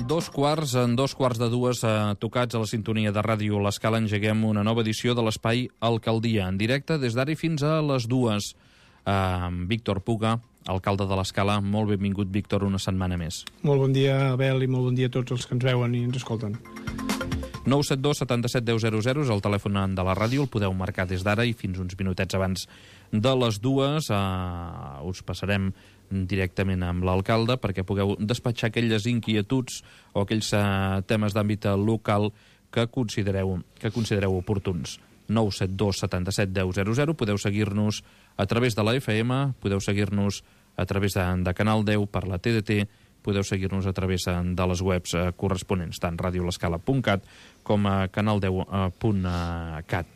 En dos quarts de dues, tocats a la sintonia de ràdio L'Escala, engeguem una nova edició de l'Espai Alcaldia, en directe des d'ara i fins a les 2. Víctor Puga, alcalde de l'Escala, molt benvingut, Víctor, una setmana més. Molt bon dia, Abel, i molt bon dia a tots els que ens veuen i ens escolten. 972 77 10 00 és el telèfon de la ràdio, el podeu marcar des d'ara i fins uns minutets abans de les 2. Us passarem directament amb l'alcalde perquè pugueu despatxar aquelles inquietuds o aquells temes d'àmbit local que considereu oportuns. 972 77 10 00. Podeu seguir-nos a través de la FM, podeu seguir-nos a través de Canal 10 per la TDT, podeu seguir-nos a través de les webs corresponents, tant radiolescala.cat com a canal10.cat.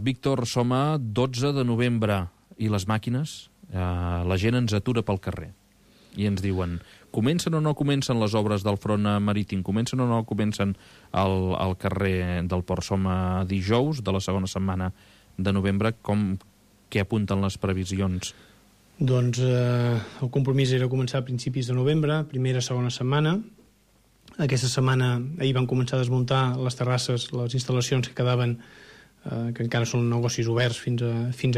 Víctor, som a 12 de novembre i les màquines, la gent ens atura pel carrer i ens diuen, comencen o no comencen les obres del front marítim, comencen o no comencen al carrer del Port. Som a dijous de la segona setmana de novembre. Què apunten les previsions? Doncs el compromís era començar a principis de novembre, primera, segona setmana. Aquesta setmana, ahir van començar a desmuntar les terrasses, les instal·lacions que quedaven, que encara són negocis oberts fins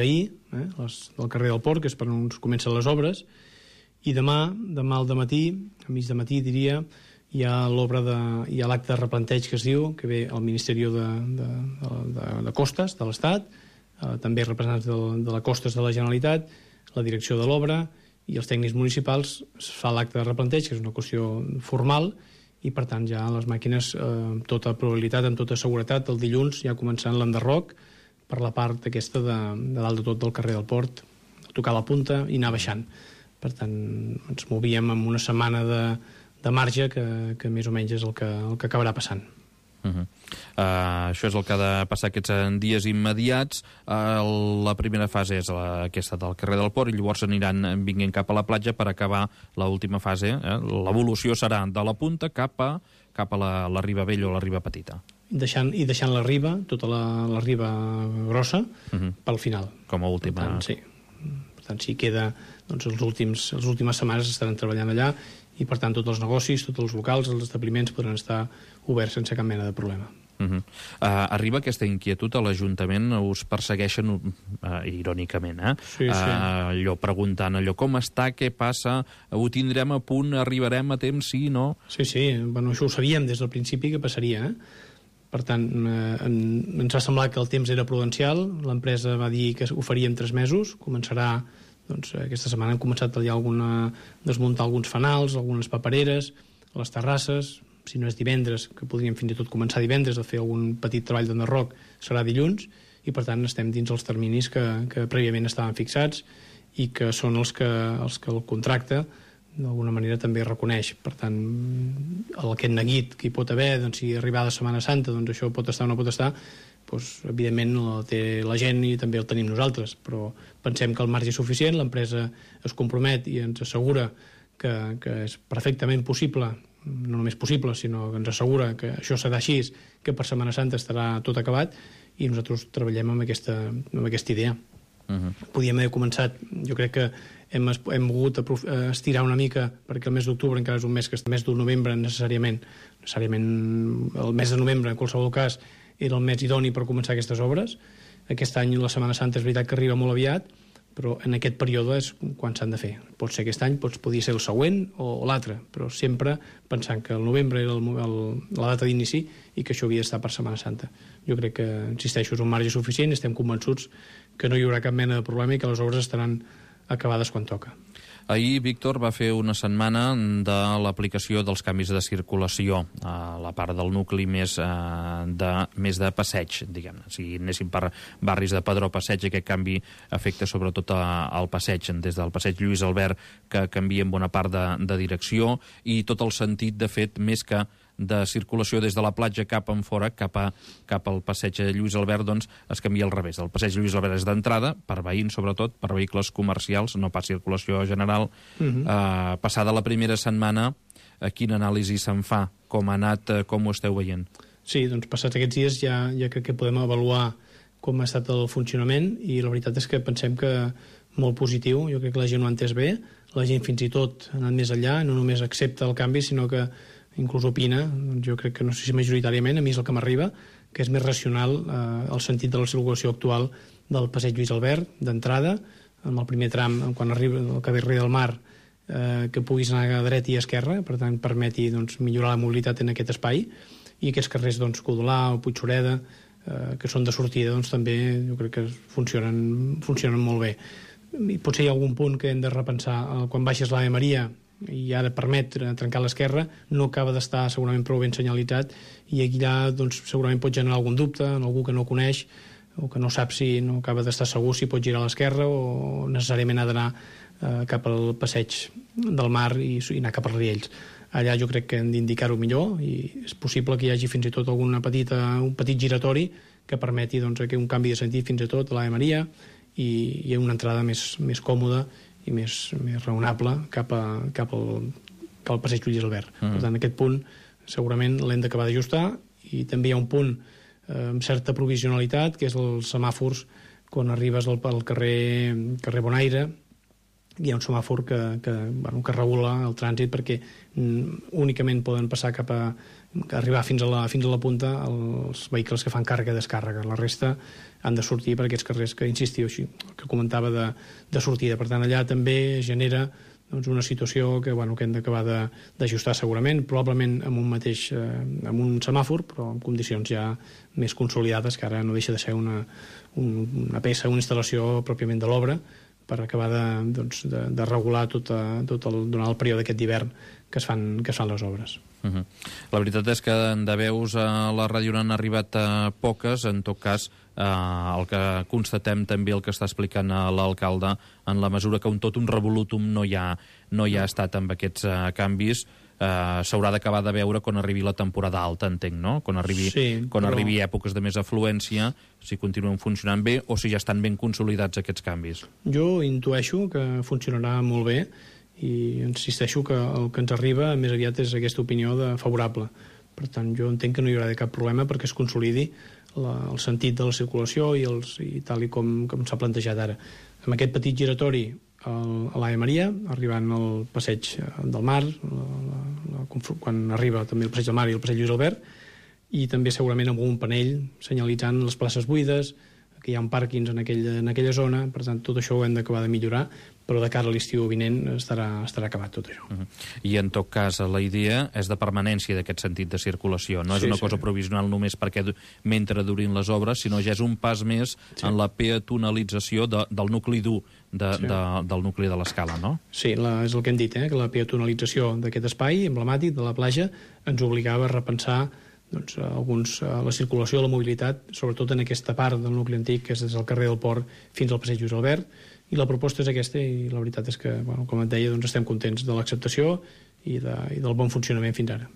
ahir, les del carrer del Port, que és per on comencen les obres. I demà al dematí, a mig de matí diria, hi ha l'acte de replanteig que es diu, que ve al Ministeri de Costes de l'Estat, també representants de la Costes de la Generalitat, la direcció de l'obra i els tècnics municipals. Es fa l'acte de replanteig, que és una qüestió formal, i per tant ja les màquines, amb tota probabilitat, amb tota seguretat, el dilluns ja començant l'enderroc per la part aquesta de dalt de tot del carrer del Port, tocar la punta i anar baixant. Per tant, ens movíem amb una setmana de marge que més o menys és el que acabarà passant. Això és el que ha de passar aquests dies immediats. La primera fase és aquesta del carrer del Port i llavors aniran vinguent cap a la platja per acabar l'última fase. L'evolució serà de la punta cap a la riba vella o la riba petita. Deixant la riba, tota la riba grossa, pel final. Com a última. Per tant, sí. Per tant, si queda, doncs les últimes setmanes estaran treballant allà i per tant tots els negocis, tots els locals, els establiments podran estar oberts sense cap mena de problema. Arriba aquesta inquietud a l'Ajuntament, us persegueixen irònicament, Sí. Allò preguntant com està, què passa, ho tindrem a punt, arribarem a temps, sí, no? Sí, bueno, això ho sabíem des del principi que passaria, Per tant, ens va semblar que el temps era prudencial, l'empresa va dir que ho faria en 3 mesos, començarà, doncs aquesta setmana hem començat a desmuntar alguns fanals, algunes papereres, les terrasses, si no és divendres, que podríem fins i tot començar divendres a fer algun petit treball d'enderroc, serà dilluns, i per tant estem dins els terminis que prèviament estaven fixats i que són els que el contracte d'alguna manera també reconeix. Per tant, aquest neguit que hi pot haver, doncs, si arribada Setmana Santa, doncs això pot estar o no pot estar, doncs, evidentment el té la gent i també el tenim nosaltres, però pensem que el marge és suficient, l'empresa es compromet i ens assegura que és perfectament possible, no només possible, sinó que ens assegura que això serà així, que per Setmana Santa estarà tot acabat, i nosaltres treballem amb aquesta idea. Podíem haver començat, jo crec que hem volgut estirar una mica perquè el mes d'octubre encara és un mes que el mes de novembre necessàriament el mes de novembre en qualsevol cas era el mes idoni per començar aquestes obres. Aquest any la Setmana Santa és veritat que arriba molt aviat, però en aquest període és quan s'han de fer. Pot ser aquest any, podria ser el següent o l'altre, però sempre pensant que el novembre era la data d'inici i que això havia d'estar per Setmana Santa. Jo crec que, insisteixo, és un marge suficient i estem convençuts que no hi haurà cap mena de problema i que les obres estaran acabades quan toca. Ahir, Víctor, va fer una setmana de l'aplicació dels canvis de circulació a la part del nucli més de passeig, diguem-ne. Si anéssim per barris de Padró Passeig, aquest canvi afecta sobretot al passeig, des del passeig Lluís Albert, que canvia en bona part de direcció, i tot el sentit, de fet, més que de circulació des de la platja cap en fora, cap al passeig Lluís Albert, doncs es canvia al revés. El passeig Lluís Albert és d'entrada, per veïns sobretot, per vehicles comercials, no pas circulació general. Passada la primera setmana, quina anàlisi se'n fa? Com ha anat, com ho esteu veient? Sí, doncs passats aquests dies ja crec que podem avaluar com ha estat el funcionament i la veritat és que pensem que molt positiu, jo crec que la gent ho ha entès bé, la gent fins i tot ha anat més enllà, no només accepta el canvi, sinó que inclús opina, jo crec que no sé si majoritàriament, a mi és el que m'arriba, que és més racional el sentit de la circulació actual del passeig Lluís Albert, d'entrada, amb el primer tram, quan arriba el carrer del Mar, que puguis anar a dreta i a esquerra, per tant permeti millorar la mobilitat en aquest espai, i aquests carrers Codolà o Puigxureda, que són de sortida, també jo crec que funcionen molt bé. I potser hi ha algun punt que hem de repensar. Quan baixes l'Ave Maria i ara permet trencar l'esquerra, no acaba d'estar segurament prou ben senyalitzat, i aquí allà segurament pot generar algun dubte en algú que no coneix o que no sap si no acaba d'estar segur si pot girar a l'esquerra o necessàriament ha d'anar cap al passeig del Mar i anar cap als Riells. Allà jo crec que hem d'indicar-ho millor, i és possible que hi hagi fins i tot un petit giratori que permeti un canvi de sentit fins i tot a l'Ave Maria i una entrada més còmoda i més raonable cap al passeig Lluís Albert. Per tant, aquest punt segurament l'hem d'acabar d'ajustar, i també hi ha un punt amb certa provisionalitat, que és els semàfors quan arribes al carrer Bonaire. Hi ha un semàfor que regula el trànsit perquè únicament poden passar arribar fins a la punta els vehicles que fan càrrega i descàrrega. La resta han de sortir per aquests carrers que, insistiu, que comentava de sortida. Per tant, allà també genera una situació que hem d'acabar d'ajustar segurament, probablement amb un semàfor, però en condicions ja més consolidades, que ara no deixa de ser una peça, una instal·lació pròpiament de l'obra, per acabar de regular durant el període aquest d'hivern que es fan les obres. La veritat és que de veus a la ràdio n'han arribat poques. En tot cas, el que constatem també, el que està explicant l'alcalde, en la mesura que un revolutum no hi ha estat amb aquests canvis, s'haurà d'acabar de veure quan arribi la temporada alta, entenc, no? Quan arribi èpoques de més afluència, si continuen funcionant bé o si ja estan ben consolidats aquests canvis. Jo intueixo que funcionarà molt bé, i insisteixo que el que ens arriba més aviat és aquesta opinió favorable. Per tant, jo entenc que no hi haurà cap problema perquè es consolidi el sentit de la circulació i tal com s'ha plantejat ara. Amb aquest petit giratori a l'Ave Maria, arribant al passeig del Mar, quan arriba també el passeig del Mar i el passeig Lluís Albert, i també segurament amb un panell senyalitzant les places buides, que hi ha un pàrquings en aquella zona. Per tant, tot això ho hem d'acabar de millorar, però de cara a l'estiu vinent estarà acabat tot això. I en tot cas, la idea és de permanència d'aquest sentit de circulació. No és una cosa provisional només perquè mentre durin les obres, sinó ja és un pas més en la peatonalització del nucli dur del nucli de l'Escala, no? Sí, és el que hem dit, que la peatonalització d'aquest espai emblemàtic de la platja ens obligava a repensar la circulació, la mobilitat, sobretot en aquesta part del nucli antic, que és des del carrer del Port fins al passeig Lluís Albert, i la proposta és aquesta, i la veritat és que, com et deia, estem contents de l'acceptació i del bon funcionament fins ara.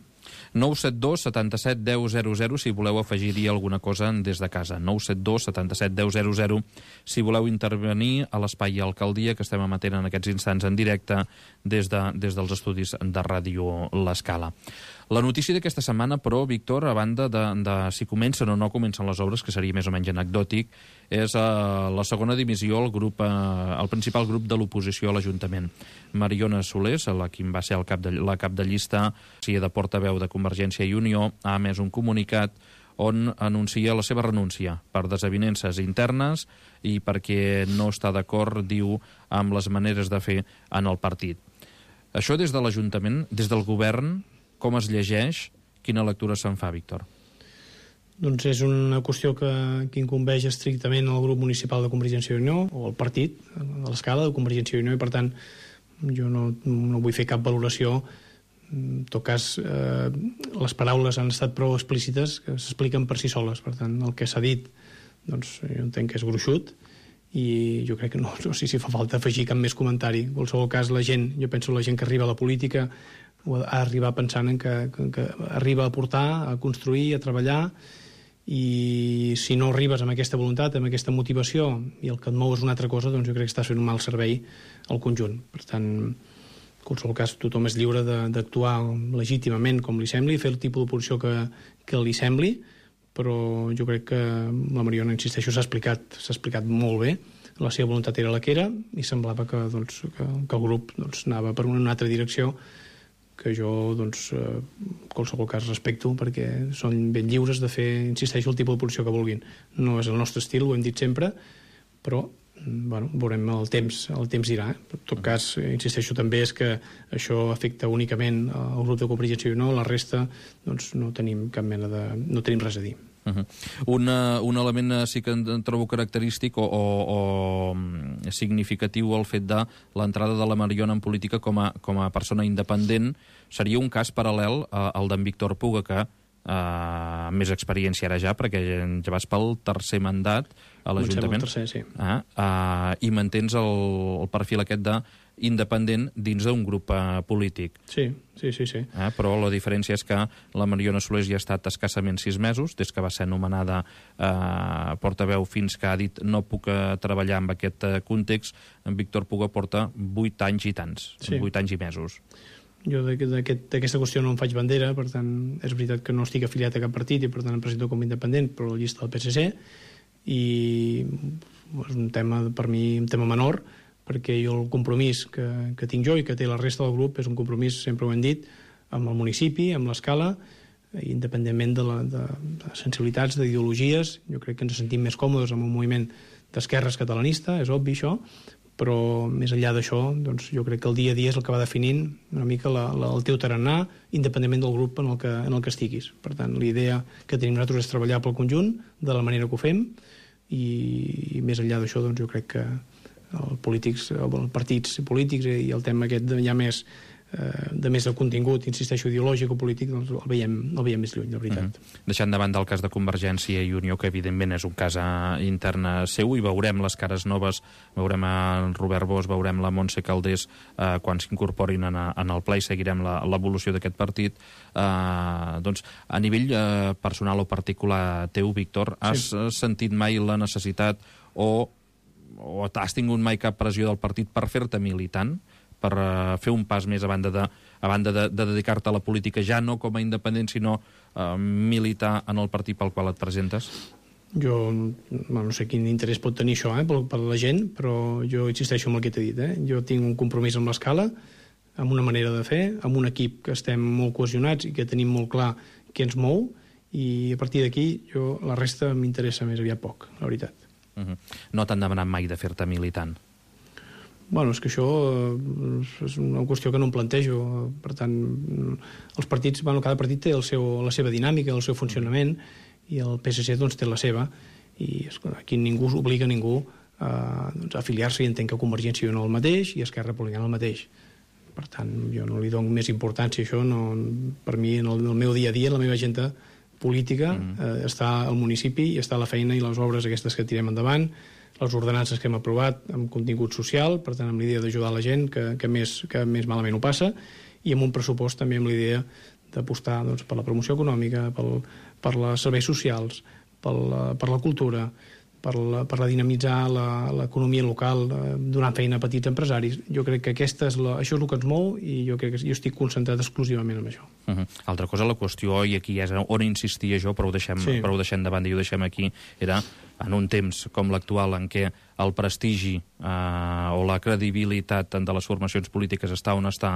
972 77 10 00 si voleu afegir-hi alguna cosa des de casa. 972 77 10 00 si voleu intervenir a l'espai Alcaldia, que estem emetent en aquests instants en directe des dels estudis de Ràdio L'Escala. La notícia d'aquesta setmana, però, Víctor, a banda de si comencen o no comencen les obres, que seria més o menys anecdòtic, és la segona dimissió, el principal grup de l'oposició a l'Ajuntament. Mariona Solés, qui va ser la cap de llista, si de portaveu de Convergència i Unió, ha emès un comunicat on anuncia la seva renúncia per desavinences internes i perquè no està d'acord, diu, amb les maneres de fer en el partit. Això des de l'Ajuntament, des del govern, com es llegeix? Quina lectura se'n fa, Víctor? Doncs és una qüestió que incumbeix estrictament al grup municipal de Convergència i Unió, o al partit de l'Escala de Convergència i Unió, i per tant jo no vull fer cap valoració. En tot cas, les paraules han estat prou explícites que s'expliquen per si soles. Per tant, el que s'ha dit, doncs, jo entenc que és gruixut, i jo crec que no sé si fa falta afegir cap més comentari. En qualsevol cas, jo penso la gent que arriba a la política ha d'arribar pensant en que arriba a aportar, a construir, a treballar, i si no arribes amb aquesta voluntat, amb aquesta motivació, i el que et mou és una altra cosa, doncs jo crec que estàs fent un mal servei al conjunt. Per tant, en qualsevol cas, tothom és lliure d'actuar legítimament com li sembli, fer el tipus d'oposició que li sembli, però jo crec que la Mariona, insisteixo, s'ha explicat molt bé. La seva voluntat era la que era, i semblava que el grup anava per una altra direcció que jo, doncs, qualsevol cas respecto, perquè són ben lliures de fer, insisteixo, el tipus de posició que vulguin. No és el nostre estil, ho hem dit sempre, però bueno, veurem el temps dirà. En tot cas, insisteixo també és que això afecta únicament el grup de Convergència i Unió, la resta doncs, no tenim no tenim res a dir. Un element sí que en trobo característic o significatiu el fet de l'entrada de la Mariona en política com a persona independent seria un cas paral·lel al d'en Víctor Puga, que més experiència ara ja, perquè ja vas pel tercer mandat a l'Ajuntament. Sí. I mantens el perfil aquest d'independent dins d'un grup polític. Sí. Però la diferència és que la Mariona Solés ja ha estat escassament 6 mesos, des que va ser nomenada portaveu fins que ha dit no puc treballar en aquest context. En Víctor Puga porta 8 anys i tants, 8 anys i mesos. Jo d'aquesta qüestió no em faig bandera, per tant, és veritat que no estic afiliat a cap partit i per tant em presento com independent, però la llista del PSC, i és un tema, per mi, un tema menor, perquè jo el compromís que tinc jo i que té la resta del grup és un compromís, sempre ho hem dit, amb el municipi, amb l'escala, independentment de sensibilitats, d'ideologies. Jo crec que ens sentim més còmodes amb un moviment d'esquerres catalanista, és obvi això, però més enllà d'això, doncs, jo crec que el dia a dia és el que va definint una mica el teu tarannà, independentment del grup en el que estiguis. Per tant, la idea que tenim nosaltres és treballar pel conjunt, de la manera que ho fem, i més enllà d'això, doncs, jo crec que els partits polítics i el tema aquest ja més de contingut, insisteixo, ideològic o polític, doncs el veiem més lluny, la veritat. Deixant de banda el cas de Convergència i Unió, que evidentment és un cas intern seu, i veurem les cares noves, veurem en Robert Bosch, veurem la Montse Calders quan s'incorporin en el ple i seguirem l'evolució d'aquest partit. Doncs a nivell personal o particular teu, Víctor, has sentit mai la necessitat o has tingut mai cap pressió del partit per fer-te militant, per fer un pas més a banda de dedicar-te a la política, ja no com a independent, sinó militar en el partit pel qual et presentes? Jo no sé quin interès pot tenir això per la gent, però jo insisteixo en el que t'he dit. Jo tinc un compromís amb l'escala, amb una manera de fer, amb un equip que estem molt cohesionats i que tenim molt clar què ens mou, i a partir d'aquí la resta m'interessa més aviat poc, la veritat. No t'han demanat mai de fer-te militant? Bueno, és que això és una qüestió que no em plantejo. Per tant, els partits, cada partit té la seva dinàmica, el seu funcionament, i el PSC doncs, té la seva, i aquí ningú obliga a ningú a afiliar-se, i entenc que Convergència i Unió el mateix i Esquerra Republicana el mateix. Per tant, jo no li dono més importància a això. Per mi, en el meu dia a dia, en la meva agenda política, està al municipi i està la feina i les obres aquestes que tirem endavant, les ordenances que hem aprovat amb contingut social, per tant, amb l'idea d'ajudar la gent que més malament ho passa, i amb un pressupost també amb l'idea d'apostar per la promoció econòmica, per els serveis socials, per la cultura, per dinamitzar l'economia local, donant feina a petits empresaris. Jo crec que això és el que ens mou, i jo crec que jo estic concentrat exclusivament en això. Altra cosa, la qüestió, i aquí és on insistia jo, però ho deixem de banda i ho deixem aquí, era en un temps com l'actual en què el prestigi o la credibilitat de les formacions polítiques està on està,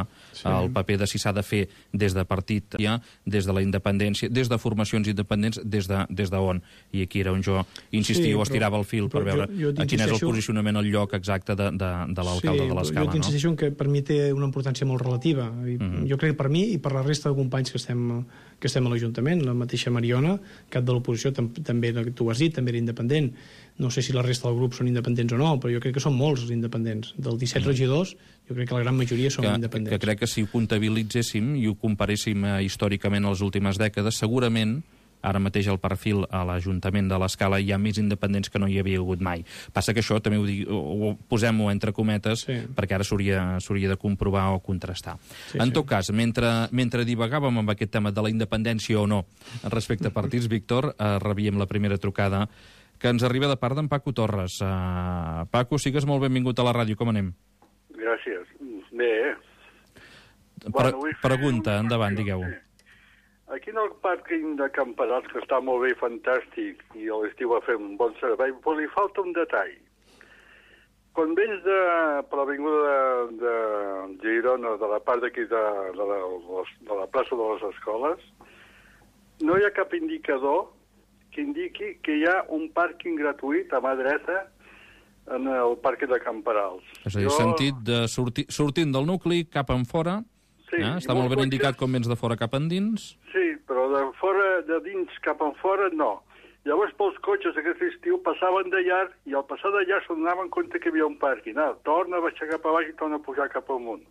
el paper de si s'ha de fer des de partit, des de la independència, des de formacions independents, des d'on. I aquí era on jo insistia o estirava el fil per veure quin és el posicionament, el lloc exacte de l'alcalde de l'Escala. Jo insisteixo que per mi té una importància molt relativa. Jo crec que per mi i per la resta de companys que estem a l'Ajuntament, la mateixa Mariona, cap de l'oposició, també tu ho has dit, també era independent. No sé si la resta del grup són independents o no, però jo crec que són molts els independents. Dels 17 regidors, jo crec que la gran majoria són independents. Que crec que si ho comptabilitzéssim i ho comparéssim històricament a les últimes dècades, segurament ara mateix al perfil a l'Ajuntament de l'Escala hi ha més independents que no hi havia hagut mai. Passa que això també ho posem-ho entre cometes, perquè ara s'hauria de comprovar o contrastar. En tot cas, mentre divagàvem amb aquest tema de la independència o no respecte a partits, Víctor, rebíem la primera trucada que ens arriba de part d'en Paco Torres. Paco, sigues molt benvingut a la ràdio. Com anem? Gràcies. Bé. Pregunta, endavant, digueu. Aquí en el pàrquing de Camperats, que està molt bé i fantàstic, i a l'estiu va fer un bon servei, però li falta un detall. quan vens per l'avinguda de Girona, de la part d'aquí de la plaça de les Escoles, no hi ha cap indicador que indiqui que hi ha un pàrquing gratuït a mà dreta en el pàrquing de Camperals. És a dir, sentit de sortint del nucli cap en fora, sí, està molt ben indicat com vens de fora cap endins. Sí, però de dins cap en fora no. Llavors, pels cotxes aquest estiu passaven de llarg i al passar de llarg se'n donaven compte que hi havia un pàrquing. Torna a baixar cap a baix i torna a pujar cap amunt.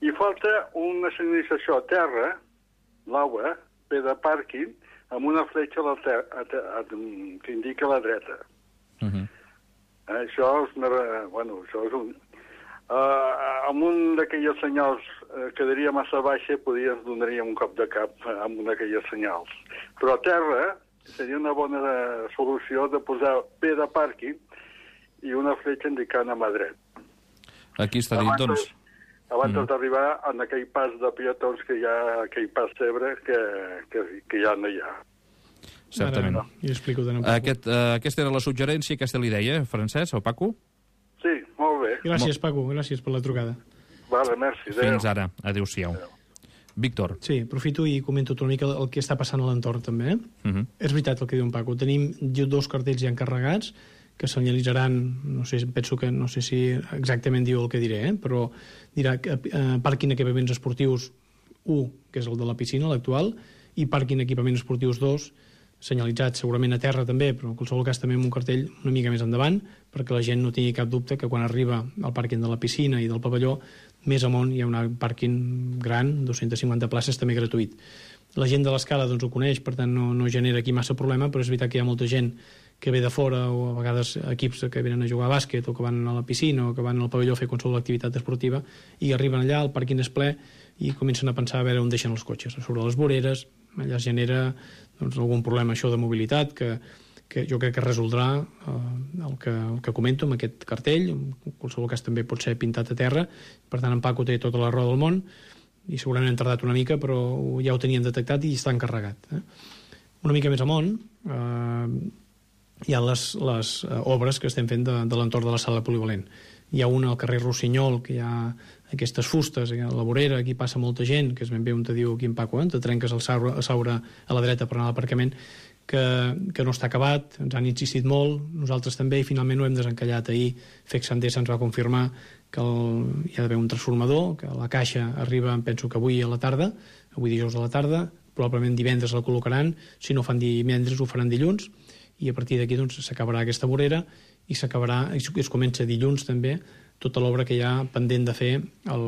I falta una senyalització a terra, l'aigua, ve de pàrquing, amb una fletxa que indica a la dreta. Això és un... amb un d'aquelles senyals quedaria massa baixa, ens donaria un cop de cap amb una d'aquelles senyals. Però a terra seria una bona solució de posar P de pàrquing i una fletxa indicant a mà dret. Aquí està dit, doncs... Abans d'arribar en aquell pas de peatons que hi ha, aquell pas cebre que ja no hi ha. Certament. I explico de nou. Aquesta era la suggerència, aquesta l'idea, Francesc o Paco? Sí, molt bé. Gràcies, Paco, gràcies per la trucada. Vale, merci. Adéu. Fins ara. Adéu-siau. Víctor. Sí, aprofito i comento una mica el que està passant a l'entorn, també. És veritat el que diu en Paco. Tenim 2 cartells ja encarregats que senyalitzaran, no sé si exactament diu el que diré, però dirà pàrquing equipaments esportius 1, que és el de la piscina, l'actual, i pàrquing equipaments esportius 2, senyalitzat segurament a terra també, però en qualsevol cas també amb un cartell una mica més endavant, perquè la gent no tingui cap dubte que quan arriba al pàrquing de la piscina i del pavelló, més amunt hi ha un pàrquing gran, 250 places, també gratuït. La gent de l'escala doncs ho coneix, per tant no genera aquí massa problema, però és veritat que hi ha molta gent que ve de fora, o a vegades equips que venen a jugar a bàsquet, o que van a la piscina, o que van al pavelló a fer qualsevol activitat esportiva, i arriben allà, el pàrquing és ple, i comencen a pensar a veure on deixen els cotxes, sobre les voreres. Allà es genera algun problema això de mobilitat que jo crec que resoldrà el que comento amb aquest cartell. En qualsevol cas també pot ser pintat a terra, per tant en Paco té tota la raó del món i segurament han tardat una mica, però ja ho tenien detectat i està encarregat. Una mica més amunt hi ha les obres que estem fent de l'entorn de la sala polivalent. Hi ha una al carrer Rossinyol, que hi ha aquestes fustes, a la vorera, aquí passa molta gent, que és ben bé on te diu aquí en Paco, te trenques el saure a la dreta per anar a l'aparcament, que no està acabat, ens han insistit molt, nosaltres també, i finalment ho hem desencallat. Ahir FEC Sendesa ens va confirmar que hi ha d'haver un transformador, que la caixa arriba, penso que avui a la tarda, avui dijous a la tarda, probablement divendres la col·locaran, si no fan divendres ho faran dilluns, i a partir d'aquí doncs, s'acabarà aquesta vorera i s'acabarà, i es comença dilluns també, tota l'obra que hi ha pendent de fer el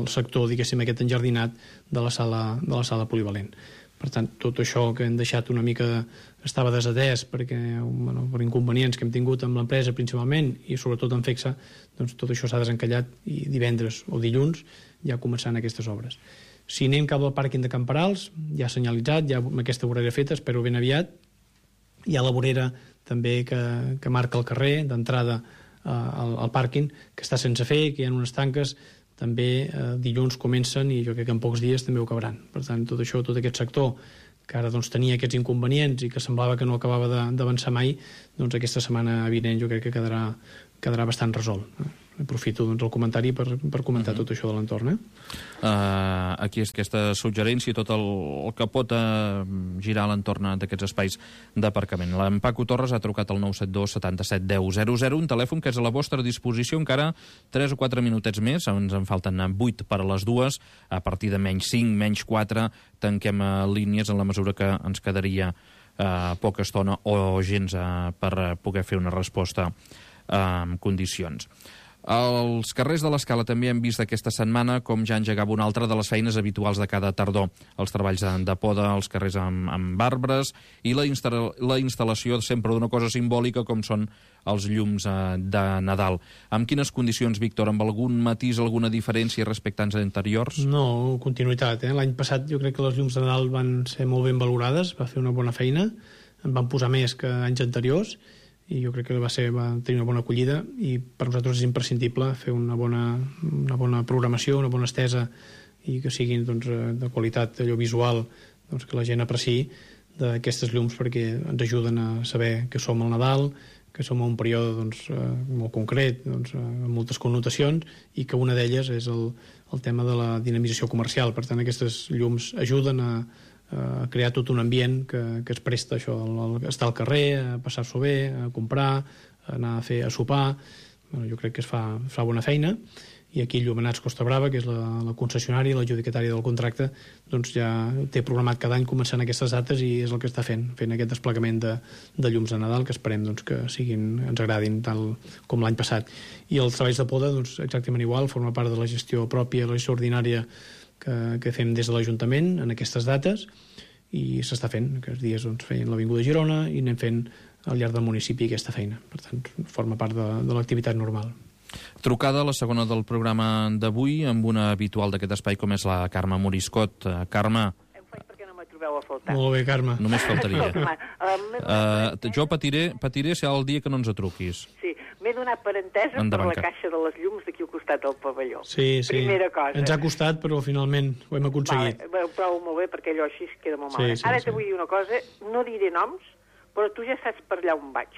sector, diguéssim, aquest enjardinat de la sala polivalent. Per tant, tot això que hem deixat una mica estava desatès per inconvenients que hem tingut amb l'empresa principalment i sobretot amb FECSA, doncs tot això s'ha desencallat i divendres o dilluns ja començaran aquestes obres. Si anem cap al pàrquing de Camperals, ja senyalitzat, ja amb aquesta vorera feta, espero ben aviat. Hi ha la vorera també que marca el carrer d'entrada al pàrquing, que està sense fer, que hi ha unes tanques, també dilluns comencen i jo crec que en pocs dies també ho acabaran. Per tant, tot això, tot aquest sector que ara doncs, tenia aquests inconvenients i que semblava que no acabava d'avançar mai, doncs aquesta setmana vinent jo crec que quedarà bastant resolt. Aprofito doncs, el comentari per comentar tot això de l'entorn. Aquí és aquesta suggerència i tot el que pot girar a l'entorn d'aquests espais d'aparcament. En Paco Torres ha trucat al 972 77 10 00, un telèfon que és a la vostra disposició encara 3 o 4 minutets més, ens en falten 8 per a les 2, a partir de menys 5, menys 4, tanquem línies en la mesura que ens quedaria poca estona o gens per poder fer una resposta en condicions. Els carrers de l'Escala també hem vist aquesta setmana com ja engegava una altra de les feines habituals de cada tardor. Els treballs de poda, els carrers amb arbres i la instal·lació sempre d'una cosa simbòlica com són els llums de Nadal. Amb quines condicions, Víctor? Amb algun matís, alguna diferència respecte als anteriors? No, continuïtat. L'any passat jo crec que les llums de Nadal van ser molt ben valorades, va fer una bona feina, en van posar més que anys anteriors, i jo crec que va tenir una bona acollida i per nosaltres és imprescindible fer una bona programació, una bona estesa i que siguin doncs, de qualitat allò visual, doncs, que la gent apreciï d'aquestes llums perquè ens ajuden a saber que som al Nadal que som en un període molt concret, amb moltes connotacions, i que una d'elles és el tema de la dinamització comercial. Per tant, aquestes llums ajuden a crear tot un ambient que es presta a això, a estar al carrer, a passar-s'ho bé, a comprar, a anar a sopar. Jo crec que es fa bona feina, i aquí Llumenats Costa Brava, que és la concessionària, l'adjudicatària del contracte, doncs ja té programat cada any començant aquestes dates, i és el que està fent aquest desplegament de llums de Nadal, que esperem que ens agradin tal com l'any passat. I els treballs de poda, exactament igual, forma part de la gestió pròpia, la gestió ordinària que fem des de l'Ajuntament en aquestes dates, i s'està fent. Aquests dies feien l'Avinguda Girona i anem fent al llarg del municipi aquesta feina. Per tant, forma part de l'activitat normal. Trucada, la segona del programa d'avui, amb una habitual d'aquest espai com és la Carme Moriscot. Carme. Em faig perquè no me trobeu a faltar. Molt bé, Carme. Només faltaria. Jo patiré si el dia que no ens truquis. Sí, m'he donat per entesa Endavant, per la caixa de les llums d'aquí al costat del pavelló. Sí. Primera cosa. Ens ha costat, però finalment ho hem aconseguit. Vale, ho trobo molt bé, perquè allò així es queda molt malament. Ara te vull dir una cosa, no diré noms, però tu ja saps per allà on vaig.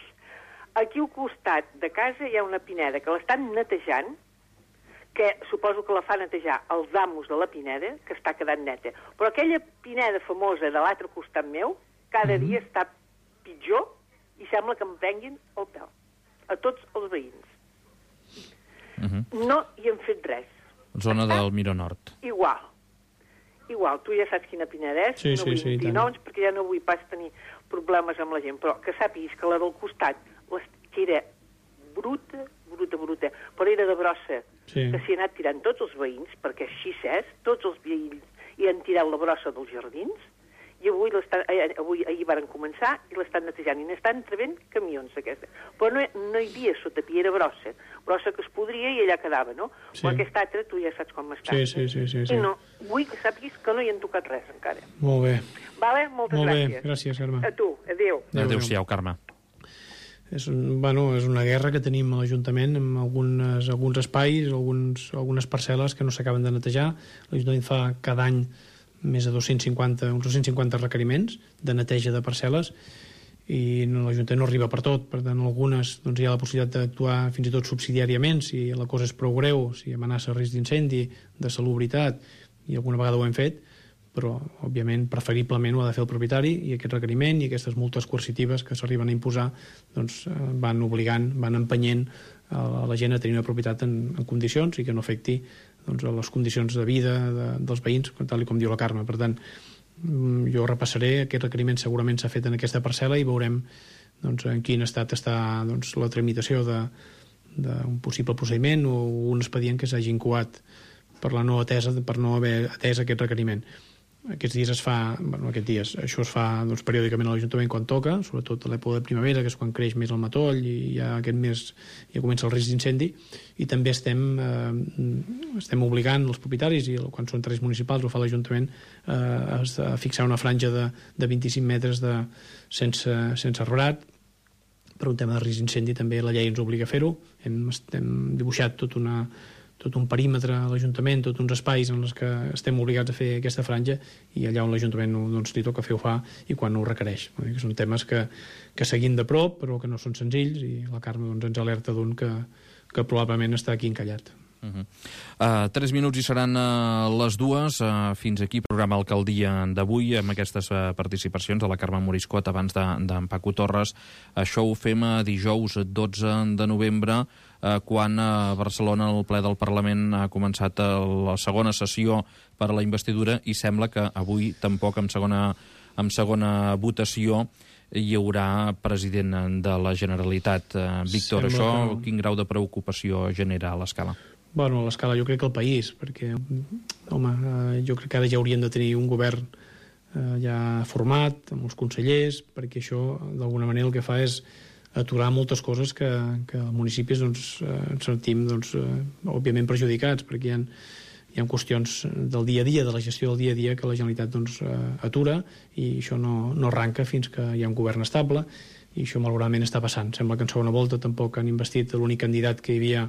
Aquí al costat de casa hi ha una pineda que l'estan netejant, que suposo que la fa netejar els amos de la pineda, que està quedant neta. Però aquella pineda famosa de l'altre costat meu, cada dia està pitjor i sembla que em prenguin el pèl. A tots els veïns. No hi hem fet res. Zona del Miró Nord. Igual. Tu ja saps quina pineda és, no vull dir noms, perquè ja no vull pas tenir problemes amb la gent, però que sàpiguis que la del costat, que era bruta, però era de brossa, que s'hi ha anat tirant tots els veïns, perquè així és, tots els veïns hi han tirat la brossa dels jardins, i ahir varen començar i l'estan netejant, i n'estan trebent camions aquesta. Però no hi havia sotapí, era brossa que es podria i allà quedava, no? Però aquesta altra tu ja saps com està. Sí. I no, vull que sàpiguis que no hi han tocat res encara. Molt bé. Vale? Moltes gràcies. Molt bé, gràcies, Carme. A tu, adéu. Adéu-siau, Carme. És una guerra que tenim a l'Ajuntament amb alguns espais, algunes parcel·les que no s'acaben de netejar. L'Ajuntament fa cada any més de uns 250 requeriments de neteja de parcel·les, i l'Ajuntament no arriba per tot. Per tant, algunes hi ha la possibilitat d'actuar fins i tot subsidiàriament si la cosa és prou greu, si amenaça risc d'incendi, de salubritat, i alguna vegada ho hem fet, però, òbviament, preferiblement ho ha de fer el propietari, i aquest requeriment i aquestes multes coercitives que s'arriben a imposar van obligant, van empenyent a la gent a tenir una propietat en condicions i que no afecti les condicions de vida dels veïns, tal com diu la Carme. Per tant, jo repassaré, aquest requeriment segurament s'ha fet en aquesta parcel·la, i veurem en quin estat està la tramitació d'un possible procediment o un expedient que s'hagi incoat per no haver atès aquest requeriment. Aquests dies això es fa periòdicament a l'Ajuntament quan toca, sobretot a l'època de primavera, que és quan creix més el matoll i ja aquest mes ja comença el risc d'incendi, i també estem obligant els propietaris, i quan són terrenys municipals ho fa l'Ajuntament, a fixar una franja de 25 metres sense arbrat. Per un tema de risc d'incendi també la llei ens obliga a fer-ho. Hem dibuixat tot un perímetre a l'Ajuntament, tots uns espais en els que estem obligats a fer aquesta franja, i allà on l'Ajuntament li toca fer ho fa, i quan ho requereix. Són temes que seguim de prop, però que no són senzills, i la Carme ens alerta d'un que probablement està aquí encallat. 3 minuts i seran les 2. Fins aquí programa Alcaldia d'avui, amb aquestes participacions de la Carme Moriscot abans d'en Paco Torres. Això ho fem dijous 12 de novembre, quan a Barcelona el ple del Parlament ha començat la segona sessió per a la investidura, i sembla que avui tampoc en segona votació hi haurà president de la Generalitat. Víctor, això quin grau de preocupació genera a l'escala? Bueno, a l'escala jo crec que el país, perquè jo crec que ara ja haurien de tenir un govern ja format, amb els consellers, perquè això d'alguna manera el que fa és aturar moltes coses que als municipis ens sentim òbviament perjudicats, perquè hi ha qüestions del dia a dia, de la gestió del dia a dia, que la Generalitat atura, i això no arranca fins que hi ha un govern estable, i això malauradament està passant. Sembla que en segona volta tampoc han investit l'únic candidat que hi havia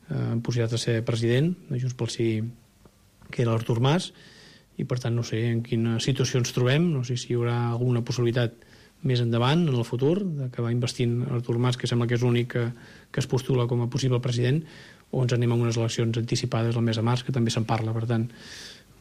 en possibilitat de ser president de Junts pel Sí, que era l'Artur Mas, i per tant no sé en quina situació ens trobem, no sé si hi haurà alguna possibilitat més endavant, en el futur, d'acabar investint Artur Mas, que sembla que és l'únic que es postula com a possible president, o ens anem a unes eleccions anticipades el mes de març, que també se'n parla. Per tant,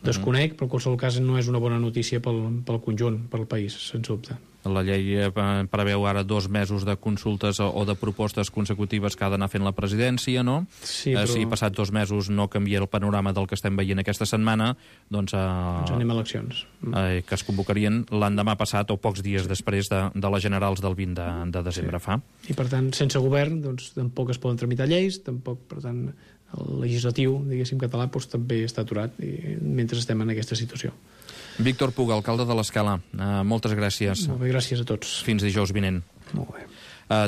desconec, però en qualsevol cas no és una bona notícia pel conjunt, pel país, sens dubte. La llei preveu ara 2 mesos de consultes o de propostes consecutives que ha d'anar fent la presidència, no? Sí, però... Si passat 2 mesos no canvia el panorama del que estem veient aquesta setmana, doncs... Ens anem a eleccions. Que es convocarien l'endemà passat o pocs dies després de les generals del 20 de desembre fa. I per tant, sense govern, doncs tampoc es poden tramitar lleis, tampoc, per tant, el legislatiu, diguéssim, català, doncs, també està aturat mentre estem en aquesta situació. Víctor Puga, alcalde de l'Escala, moltes gràcies. Molt bé, gràcies a tots. Fins dijous vinent. Molt bé.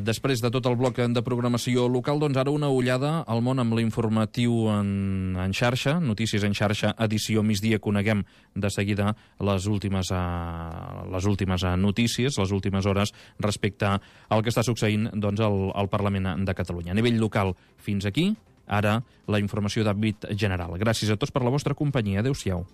Després de tot el bloc de programació local, doncs ara una ullada al món amb l'informatiu en xarxa, Notícies en xarxa, edició migdia. Coneguem de seguida les últimes notícies, les últimes hores respecte al que està succeint doncs, al Parlament de Catalunya. A nivell local, fins aquí, ara la informació d'àmbit general. Gràcies a tots per la vostra companyia. Adéu-siau.